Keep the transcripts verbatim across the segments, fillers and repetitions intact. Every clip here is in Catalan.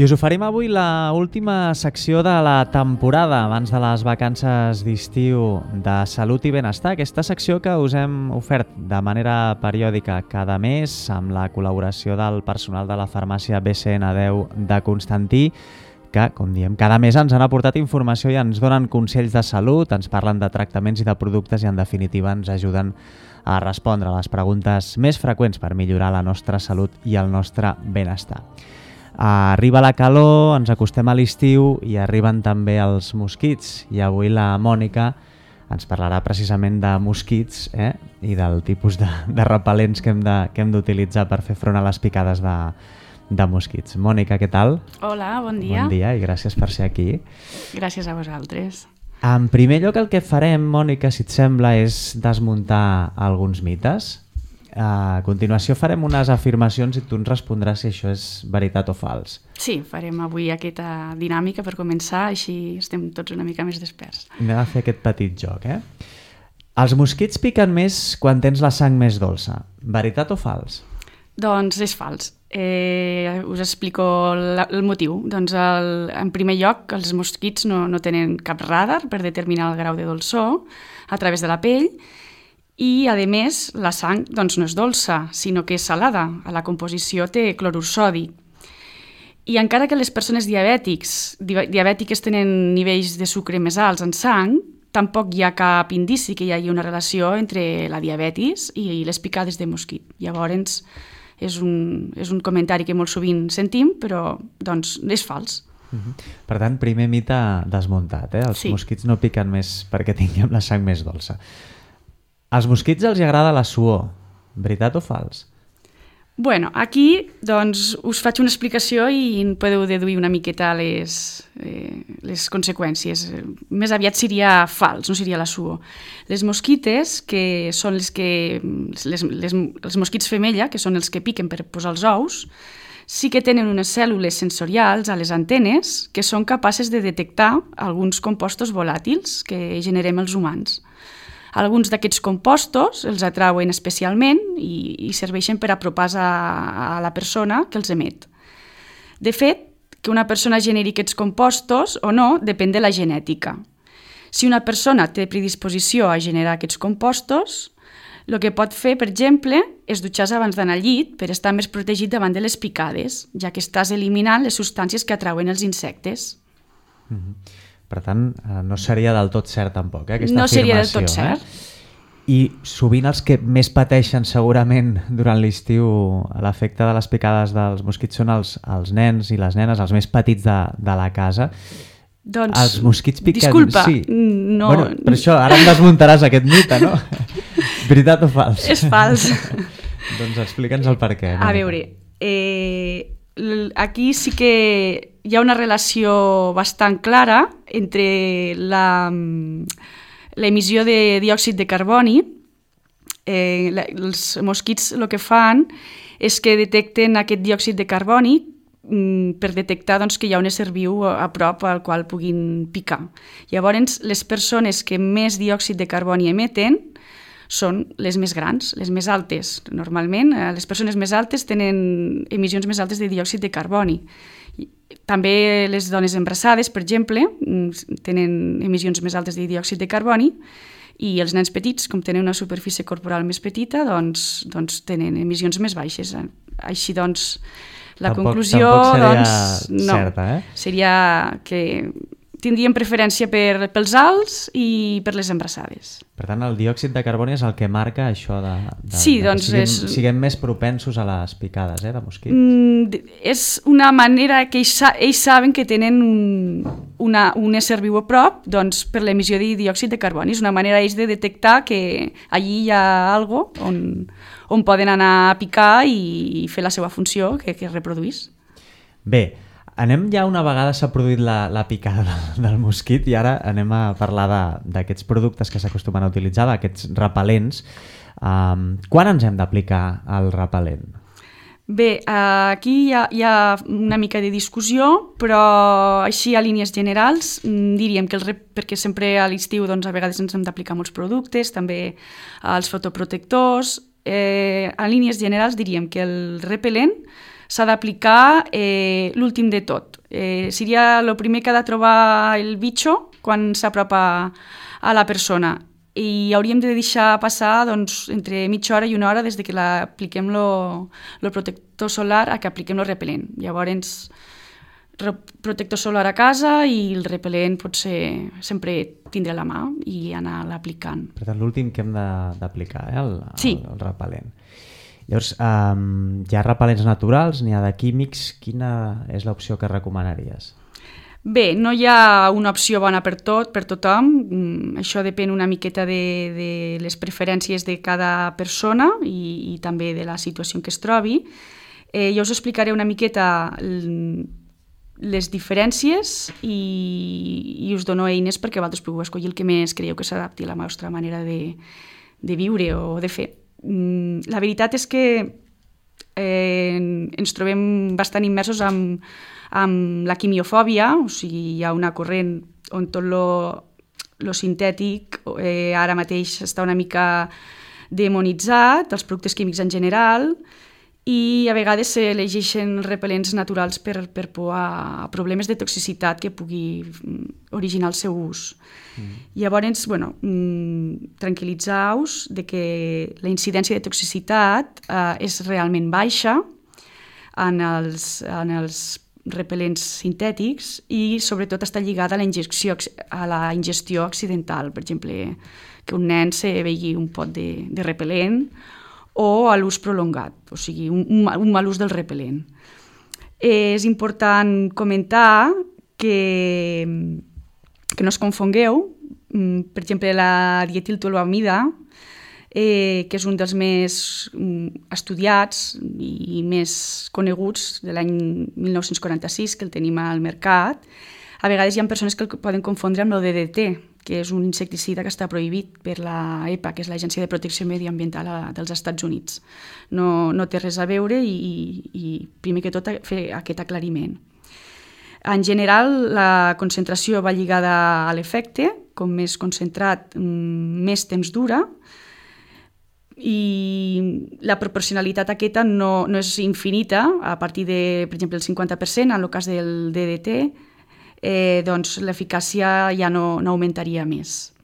I us oferim avui la última secció de la temporada abans de les vacances d'estiu de Salut i Benestar. Aquesta secció que us hem ofert de manera periòdica cada mes amb la col·laboració del personal de la farmàcia B C N deu de Constantí, que, com diem, cada mes ens han aportat informació i ens donen consells de salut, ens parlen de tractaments i de productes i, en definitiva, ens ajuden a respondre a les preguntes més freqüents per millorar la nostra salut i el nostre benestar. Arriba la calor, ens acostem a l'estiu i arriben també els mosquits. I avui la Mònica ens parlarà precisament de mosquits eh? i del tipus de, de repel·lents que hem de, que hem d'utilitzar per fer front a les picades de, de mosquits. Mònica, què tal? Hola, bon dia. Bon dia i gràcies per ser aquí. Gràcies a vosaltres. En primer lloc, el que farem, Mònica, si et sembla, és desmuntar alguns mites. A continuació farem unes afirmacions i tu ens respondràs si això és veritat o fals. Sí, farem avui aquesta dinàmica per començar, així estem tots una mica més desperts. Anem a fer aquest petit joc, eh? Els mosquits piquen més quan tens la sang més dolça. Veritat o fals? Doncs és fals. Eh, us explico la, el motiu. Doncs el, en primer lloc, els mosquits no, no tenen cap radar per determinar el grau de dolçor a través de la pell. I, a més, la sang doncs, no és dolça, sinó que és salada. A la composició té clorur sòdic. I encara que les persones diabètics, diabètiques tenen nivells de sucre més alts en sang, tampoc hi ha cap indici que hi hagi una relació entre la diabetis i les picades de mosquit. Llavors, és un, és un comentari que molt sovint sentim, però doncs, és fals. Uh-huh. Per tant, primer mite desmuntat. Eh? Els sí. mosquits no piquen més perquè tinguem la sang més dolça. Als mosquits els agrada la suor. Veritat o fals? Bueno, aquí doncs, us faig una explicació i en podeu deduir una miqueta les, eh, les conseqüències. Més aviat seria fals, no seria la suor. Les mosquites, que són les que... Les, les, els mosquits femella, que són els que piquen per posar els ous, sí que tenen unes cèl·lules sensorials a les antenes que són capaces de detectar alguns compostos volàtils que generem els humans. Alguns d'aquests compostos els atrauen especialment i, i serveixen per apropar-se a, a la persona que els emet. De fet, que una persona generi aquests compostos o no depèn de la genètica. Si una persona té predisposició a generar aquests compostos, el que pot fer, per exemple, és dutxar-se abans d'anar al llit per estar més protegit davant de les picades, ja que estàs eliminant les substàncies que atrauen els insectes. Mm-hmm. Per tant, no seria del tot cert tampoc, eh, aquesta no afirmació. No seria del tot cert. Eh? I sovint els que més pateixen segurament durant l'estiu l'efecte de les picades dels mosquits són els, els nens i les nenes, els més petits de, de la casa. Doncs, els mosquits piquen... disculpa, sí. no... Bueno, per això, ara em desmuntaràs aquest mite, no? Veritat o fals? És fals. Doncs explica'ns el per què. A veure, eh, aquí sí que hi ha una relació bastant clara entre la, l'emissió de diòxid de carboni. Eh, la, els mosquits el que fan és que detecten aquest diòxid de carboni mm, per detectar doncs, que hi ha un ésser viu a prop al qual puguin picar. Llavors, les persones que més diòxid de carboni emeten són les més grans, les més altes. Normalment, les persones més altes tenen emissions més altes de diòxid de carboni. També les dones embarassades, per exemple, tenen emissions més altes de diòxid de carboni i els nens petits, com tenen una superfície corporal més petita, doncs, doncs tenen emissions més baixes. Així doncs, la tampoc, conclusió tampoc seria doncs, no, certa, eh? Seria que tindríem preferència per, pels alts i per les embarassades. Per tant, el diòxid de carboni és el que marca això de, de, sí, de doncs que siguem, és... siguem més propensos a les picades eh, de mosquits. Mm, és una manera que ells, ells saben que tenen un, una, un ésser viu a prop doncs, per l'emissió de diòxid de carboni. És una manera ells de detectar que allí hi ha algo on, on poden anar a picar i fer la seva funció, que, que es reproduís. Bé, anem ja una vegada s'ha produït la, la picada del, del mosquit i ara anem a parlar d'aquests productes que s'acostumen a utilitzar, d'aquests repel·lents. Um, quan ens hem d'aplicar el repel·lent? Bé, aquí hi ha, hi ha una mica de discussió, però així a línies generals diríem que el rep, perquè sempre a l'estiu doncs, a vegades ens hem d'aplicar molts productes, també els fotoprotectors. Eh, a línies generals diríem que el repel·lent s'ha d'aplicar eh, l'últim de tot. Eh, seria el primer que ha de trobar el bitxo quan s'apropa a la persona. I hauríem de deixar passar doncs, entre mitja hora i una hora des de que apliquem el protector solar a que apliquem el repel·lent. Llavors, protector solar a casa i el repel·lent pot ser sempre tindre a la mà i anar aplicant. Per tant, l'últim que hem d'aplicar, eh? el, sí. el, el repel·lent. Llavors, um, hi ha repel·lents naturals, n'hi ha de químics. Quina és l'opció que recomanaries? Bé, no hi ha una opció bona per tot, per tothom. Això depèn una miqueta de, de les preferències de cada persona i, i també de la situació en què es trobi. Eh, jo us explicaré una miqueta les diferències i, i us dono eines perquè vosaltres pugueu escollir el que més creieu que s'adapti a la vostra manera de, de viure o de fer. La veritat és que eh, ens trobem bastant immersos amb amb la quimiofòbia, o sigui, hi ha una corrent on tot lo sintètic eh, ara mateix està una mica demonitzat, els productes químics en general, i a vegades s'elegeixen repel·lents naturals per, per por a problemes de toxicitat que pugui originar el seu ús. Mm. Llavors, bueno, tranquil·litzeu-vos de que la incidència de toxicitat eh, és realment baixa en els, en els repel·lents sintètics i sobretot està lligada a la ingestió, a la ingestió accidental, per exemple, que un nen se begui un pot de, de repel·lent o a l'ús prolongat, o sigui, un, un mal ús del repel·lent. Eh, és important comentar que, que no es confongueu, per exemple, la dietiltoluamida, Eh, que és un dels més mm, estudiats i més coneguts de l'any mil nou-cents quaranta-sis, que el tenim al mercat. A vegades hi ha persones que el poden confondre amb el D D T, que és un insecticida que està prohibit per la E P A, que és l'Agència de Protecció Mediambiental a, dels Estats Units. No, no té res a veure i, i primer que tot fer aquest aclariment. En general, la concentració va lligada a l'efecte, com més concentrat, més temps dura, i la proporcionalitat aquesta no, no és infinita, a partir de, per exemple, el cinquanta per cent, en el cas del D D T, eh, doncs l'eficàcia ja no, no augmentaria més.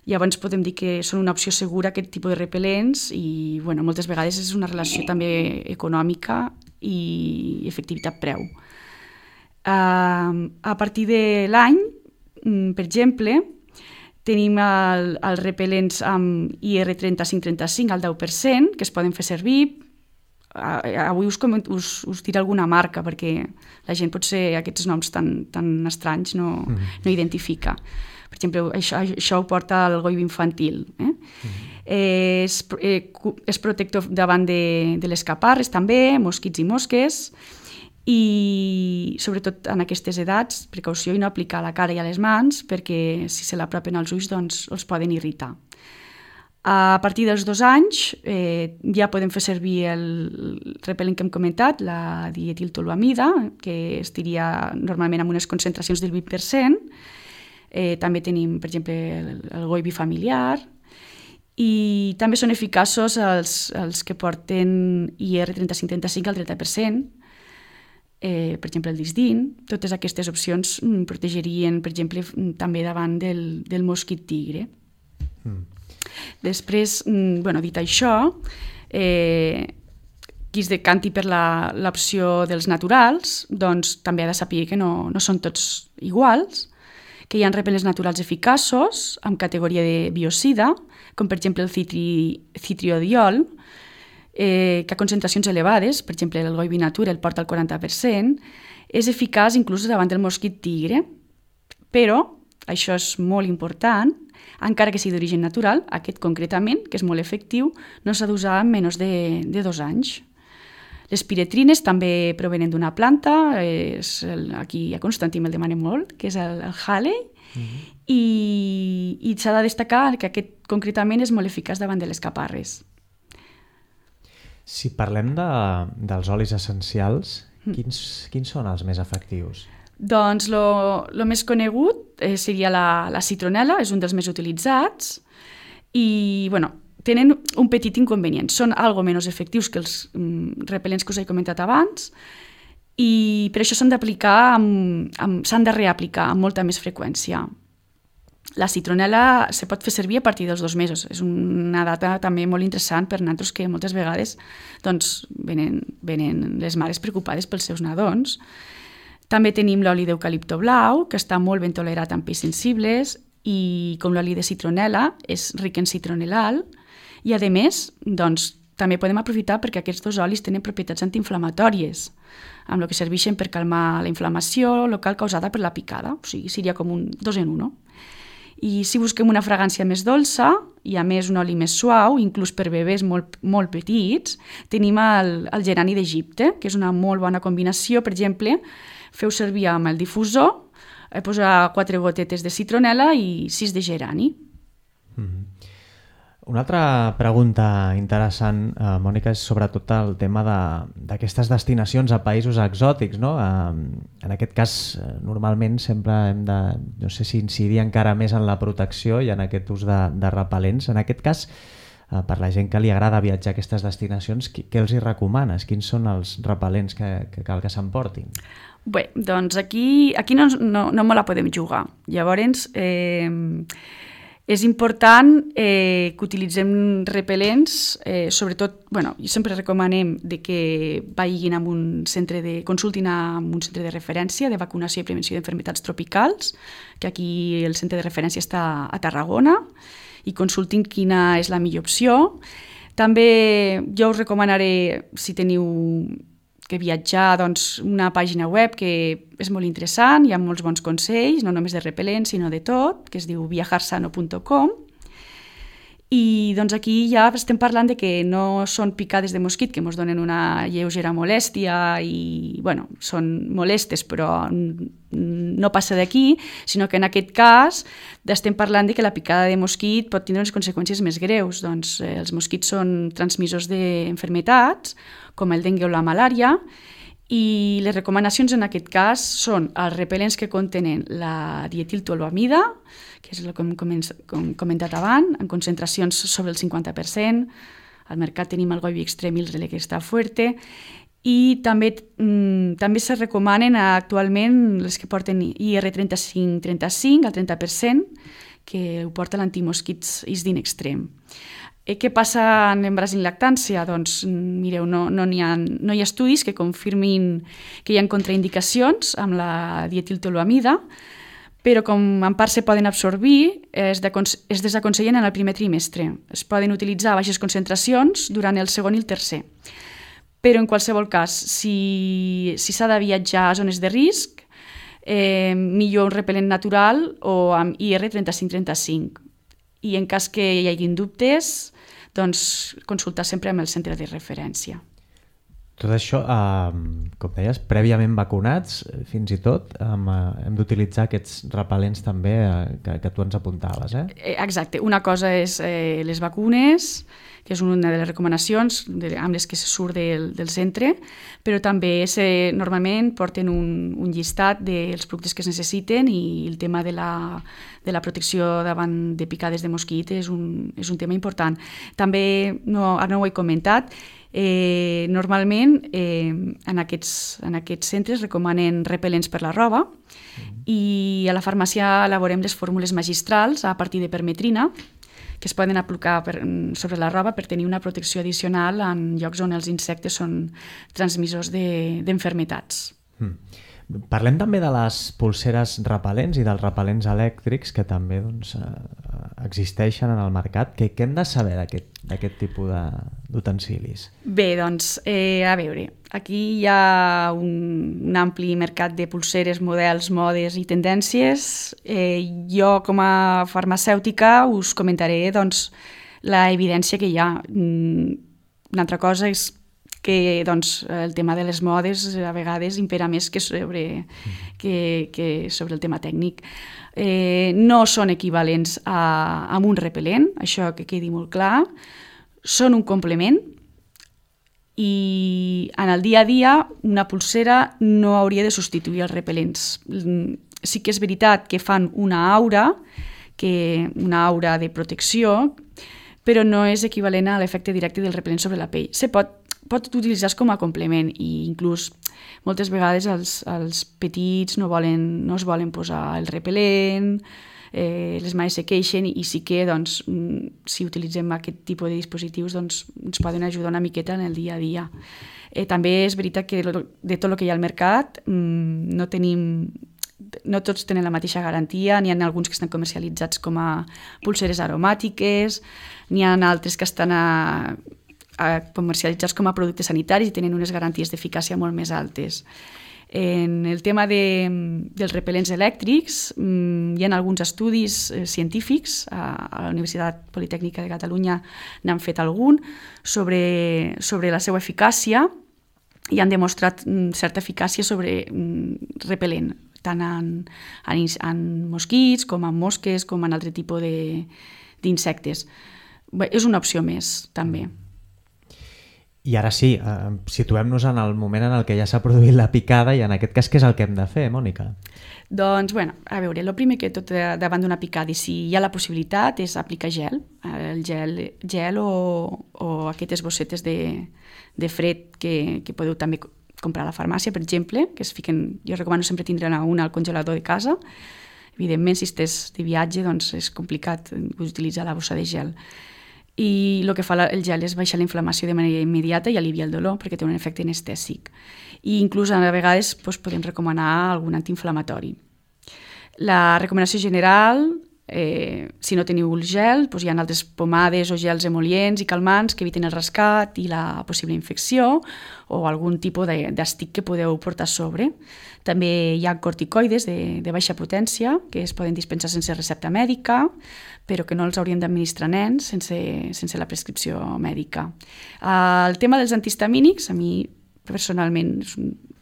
Llavors podem dir que són una opció segura aquest tipus de repel·lents i bueno, moltes vegades és una relació també econòmica i efectivitat-preu. Uh, a partir de l'any, per exemple, tenim el, els repel·lents amb I R trenta-cinc trenta-cinc al deu per cent, que es poden fer servir. Avui us, us, us diré alguna marca, perquè la gent potser aquests noms tan, tan estranys no, mm. no identifica. Per exemple, això, això ho porta el goibi infantil. Eh? Mm. Eh, és, eh, és protector davant de, de les caparres, també, mosquits i mosques, i sobretot en aquestes edats, precaució i no aplicar a la cara i a les mans perquè si se l'apropen als ulls doncs els poden irritar. A partir dels dos anys eh, ja podem fer servir el repel·lent que hem comentat, la dietiltoluamida, que estiria normalment amb unes concentracions del vint per cent. Eh, també tenim, per exemple, el, el goibi familiar i també són eficaços els, els que porten I R trenta-cinc trenta-cinc al trenta per cent. Eh, per exemple, el disdin. Totes aquestes opcions mm, protegerien, per exemple, també davant del, del mosquit tigre. Mm. Després, mm, bueno, dit això, eh, qui es decanti per l'opció dels naturals, doncs també ha de saber que no, no són tots iguals, que hi ha repel·lents naturals eficaços, amb categoria de biocida, com per exemple el citri, citriodiol, Eh, que a concentracions elevades, per exemple el goibi natura el porta al quaranta per cent, és eficaç inclús davant del mosquit tigre, però, això és molt important, encara que sigui d'origen natural, aquest concretament, que és molt efectiu, no s'ha d'usar en menys de, de dos anys. Les piretrines també provenen d'una planta, és el, aquí a Constantí me'l demanen molt, que és el, el Halley, mm-hmm. i, i s'ha de destacar que aquest concretament és molt eficaç davant de les caparres. Si parlem de, dels olis essencials, mm. quins, quins són els més efectius? Doncs el més conegut eh, seria la, la citronel·la, és un dels més utilitzats i bueno, tenen un petit inconvenient. Són algo menys efectius que els mm, repel·lents que us he comentat abans i per això s'han d'aplicar, amb, amb, s'han de reaplicar amb molta més freqüència. La citronela se pot fer servir a partir dels dos mesos. És una data també molt interessant per nosaltres que moltes vegades doncs, venen, venen les mares preocupades pels seus nadons. També tenim l'oli d'eucalipto blau, que està molt ben tolerat amb peix sensibles i com l'oli de citronela és ric en citronelal i a més doncs, també podem aprofitar perquè aquests dos olis tenen propietats antiinflamatòries amb el que serveixen per calmar la inflamació local causada per la picada, o sigui, seria com un dos en uno. I si busquem una fragància més dolça i a més un oli més suau, inclús per bebès molt, molt petits, tenim el, el gerani d'Egipte, que és una molt bona combinació. Per exemple, feu servir amb el difusor, eh, posar quatre gotetes de citronela i sis de gerani. Mm-hmm. Una altra pregunta interessant, eh, Mònica, és sobretot el tema d'aquestes de, destinacions a països exòtics, no? Eh, en aquest cas, eh, normalment sempre hem de, no sé si incidir encara més en la protecció i en aquest ús de, de repel·lents. En aquest cas, eh, per la gent que li agrada viatjar a aquestes destinacions, qui, què els hi recomanes? Quins són els repel·lents que, que cal que s'emportin? Bé, doncs aquí, aquí no, no, no me la podem jugar. Llavors, eh, és important eh, que utilitzem repel·lents, eh, sobretot, bueno, sempre recomanem de que vagin a un centre de, consultin amb un centre de referència de vacunació i prevenció d'enfermetats tropicals, que aquí el centre de referència està a Tarragona, i consultin quina és la millor opció. També jo us recomanaré, si teniu que viatjar, doncs, una pàgina web que és molt interessant, hi ha molts bons consells, no només de repel·lents, sinó de tot, que es diu viajarsano punt com. I doncs aquí ja estem parlant de que no són picades de mosquit que ens donen una lleugera molèstia i, bueno, són molestes, però no passa d'aquí, sinó que en aquest cas estem parlant de que la picada de mosquit pot tindre unes conseqüències més greus. Doncs eh, els mosquits són transmissors d'enfermetats, com el dengue o la malària, i les recomanacions en aquest cas són els repel·lents que contenen la dietiltoluamida, que és el que hem comentat abans, en concentracions sobre el cinquanta per cent. Al mercat tenim el Goibi Extrem i el Relé que està fuerte, i també, mm, també se recomanen actualment les que porten I R trenta-cinc trenta-cinc al trenta per cent, que ho porta l'antimosquits Isdin Extrem. Eh, què passa en l'embaràs i en lactància? Doncs, mireu, no, no, hi ha, no hi ha estudis que confirmin que hi ha contraindicacions amb la dietiltoluamida, però com en part se poden absorbir, es, es desaconsellen en el primer trimestre. Es poden utilitzar a baixes concentracions durant el segon i el tercer. Però en qualsevol cas, si s'ha si de viatjar a zones de risc, eh, millor un repel·lent natural o amb I R trenta-cinc trenta-cinc. I en cas que hi hagin dubtes, doncs consultar sempre amb el centre de referència. Tot això, eh, com deies, prèviament vacunats, fins i tot, eh, hem d'utilitzar aquests repel·lents també eh, que, que tu ens apuntaves, eh? Exacte. Una cosa és eh, les vacunes, que és una de les recomanacions de, amb les que se surt del, del centre, però també se, normalment porten un, un llistat dels productes que es necessiten i el tema de la, de la protecció davant de picades de mosquit és un, és un tema important. També, no, ara no ho he comentat, eh, normalment eh, en, aquests, en aquests centres recomanen repel·lents per la roba mm. i a la farmàcia elaborem les fórmules magistrals a partir de permetrina, que es poden aplicar per, sobre la roba per tenir una protecció addicional en llocs on els insectes són transmissors d'enfermetats. De, mm. Parlem també de les pulseres repel·lents i dels repel·lents elèctrics que també doncs, existeixen en el mercat. Què, què hem de saber d'aquest tipus d'utensilis? Bé, doncs, eh, a veure, aquí hi ha un, un ampli mercat de pulseres, models, modes i tendències. Eh, jo, com a farmacèutica, us comentaré doncs, la evidència que hi ha. Una altra cosa és que doncs, el tema de les modes a vegades impera més que sobre, que, que sobre el tema tècnic. Eh, no són equivalents a, a un repel·lent, això que quedi molt clar. Són un complement i en el dia a dia una pulsera no hauria de substituir els repel·lents. Sí que és veritat que fan una aura, que, una aura de protecció, però no és equivalent a l'efecte directe del repel·lent sobre la pell. Se pot, pot utilitzar com a complement i inclús moltes vegades els, els petits no, volen, no es volen posar el repel·lent, eh, les mares se queixen i, i sí que doncs, si utilitzem aquest tipus de dispositius doncs, ens poden ajudar una miqueta en el dia a dia. Eh, també és veritat que de tot el que hi ha al mercat mmm, no tenim no tots tenen la mateixa garantia, n'hi ha alguns que estan comercialitzats com a pulseres aromàtiques, n'hi ha altres que estan a, a comercialitzats com a productes sanitaris i tenen unes garanties d'eficàcia molt més altes. En el tema de, dels repel·lents elèctrics hi ha alguns estudis científics, a, a la Universitat Politècnica de Catalunya n'han fet algun, sobre, sobre la seva eficàcia i han demostrat certa eficàcia sobre repel·lent, tant en, en, en mosquits com en mosques com en altre tipus d'insectes. És una opció més, també. I ara sí, eh, situem-nos en el moment en el que ja s'ha produït la picada i en aquest cas què és el que hem de fer, Mònica? Doncs, bueno, a veure, el primer que tot davant d'una picada i si hi ha la possibilitat és aplicar gel, el gel, gel o, o aquestes bossetes de, de fred que, que podeu també comprar a la farmàcia, per exemple, que es fiquen, jo recomano sempre tindre una al congelador de casa. Evidentment, si estàs de viatge, doncs és complicat utilitzar la bossa de gel. I el que fa el gel és baixar la inflamació de manera immediata i aliviar el dolor, perquè té un efecte anestèsic. I inclús a vegades doncs, podem recomanar algun antiinflamatori. La recomanació general, eh, si no teniu el gel, doncs hi ha altres pomades o gels emol·lients i calmants que eviten el rascat i la possible infecció o algun tipus d'estic que podeu portar a sobre. També hi ha corticoides de, de baixa potència que es poden dispensar sense recepta mèdica, però que no els hauríem d'administrar nens sense, sense la prescripció mèdica. El tema dels antihistamínics, a mi personalment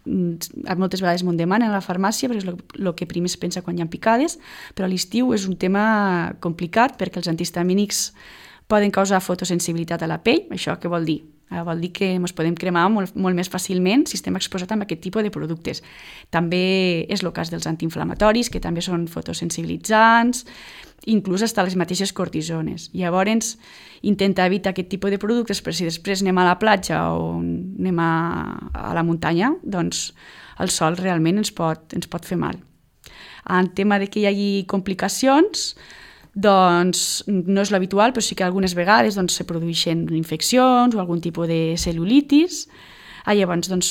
moltes vegades m'ho demanen a la farmàcia perquè és el que primer es pensa quan hi ha picades, però a l'estiu és un tema complicat perquè els antihistamínics poden causar fotosensibilitat a la pell. Això què vol dir? Vol dir que ens podem cremar molt, molt més fàcilment si estem exposats a aquest tipus de productes. També és el cas dels antiinflamatoris, que també són fotosensibilitzants, inclús fins les mateixes cortisones. Llavors, intentar evitar aquest tipus de productes, però si després anem a la platja o anem a, a la muntanya, doncs el sol realment ens pot, ens pot fer mal. En tema de que hi hagi complicacions, doncs no és l'habitual, però sí que algunes vegades doncs, se produeixen infeccions o algun tipus de cel·lulitis. Ah, llavors doncs,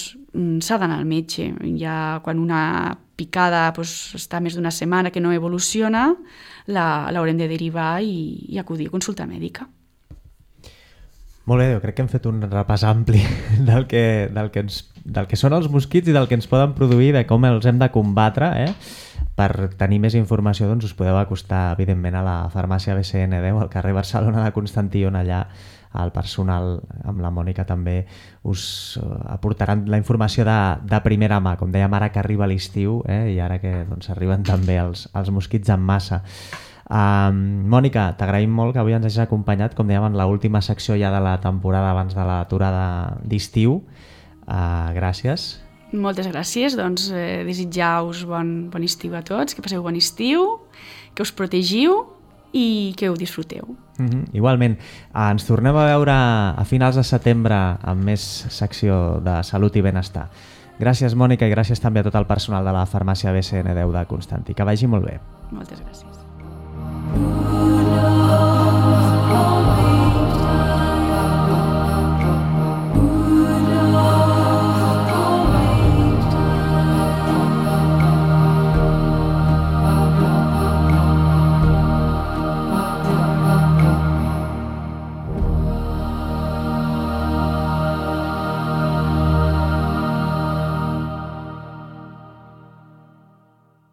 s'ha d'anar al metge. Ja quan una picada doncs, està més d'una setmana que no evoluciona, l'haurem de derivar i, i acudir a consulta mèdica. Molt bé, jo crec que hem fet un repàs ampli del que, del que, ens, del que són els mosquits i del que ens poden produir, de com els hem de combatre. Eh? Per tenir més informació doncs, us podeu acostar, evidentment, a la farmàcia B C N deu, al carrer Barcelona de Constantí, on allà el personal, amb la Mònica també, us aportaran la informació de, de primera mà, com dèiem ara que arriba l'estiu, eh? I ara que doncs, arriben també els, els mosquits en massa. Um, Mònica, t'agraïm molt que avui ens hagis acompanyat, com dèiem, en l'última secció ja de la temporada abans de l'aturada d'estiu. Uh, gràcies. Moltes gràcies, doncs eh, desitjar-vos bon, bon estiu a tots, que passeu bon estiu, que us protegiu i que ho disfruteu. Mm-hmm. Igualment, uh, ens tornem a veure a finals de setembre amb més secció de salut i benestar. Gràcies, Mònica, i gràcies també a tot el personal de la farmàcia B C N deu de Constantí. Que vagi molt bé. Moltes gràcies.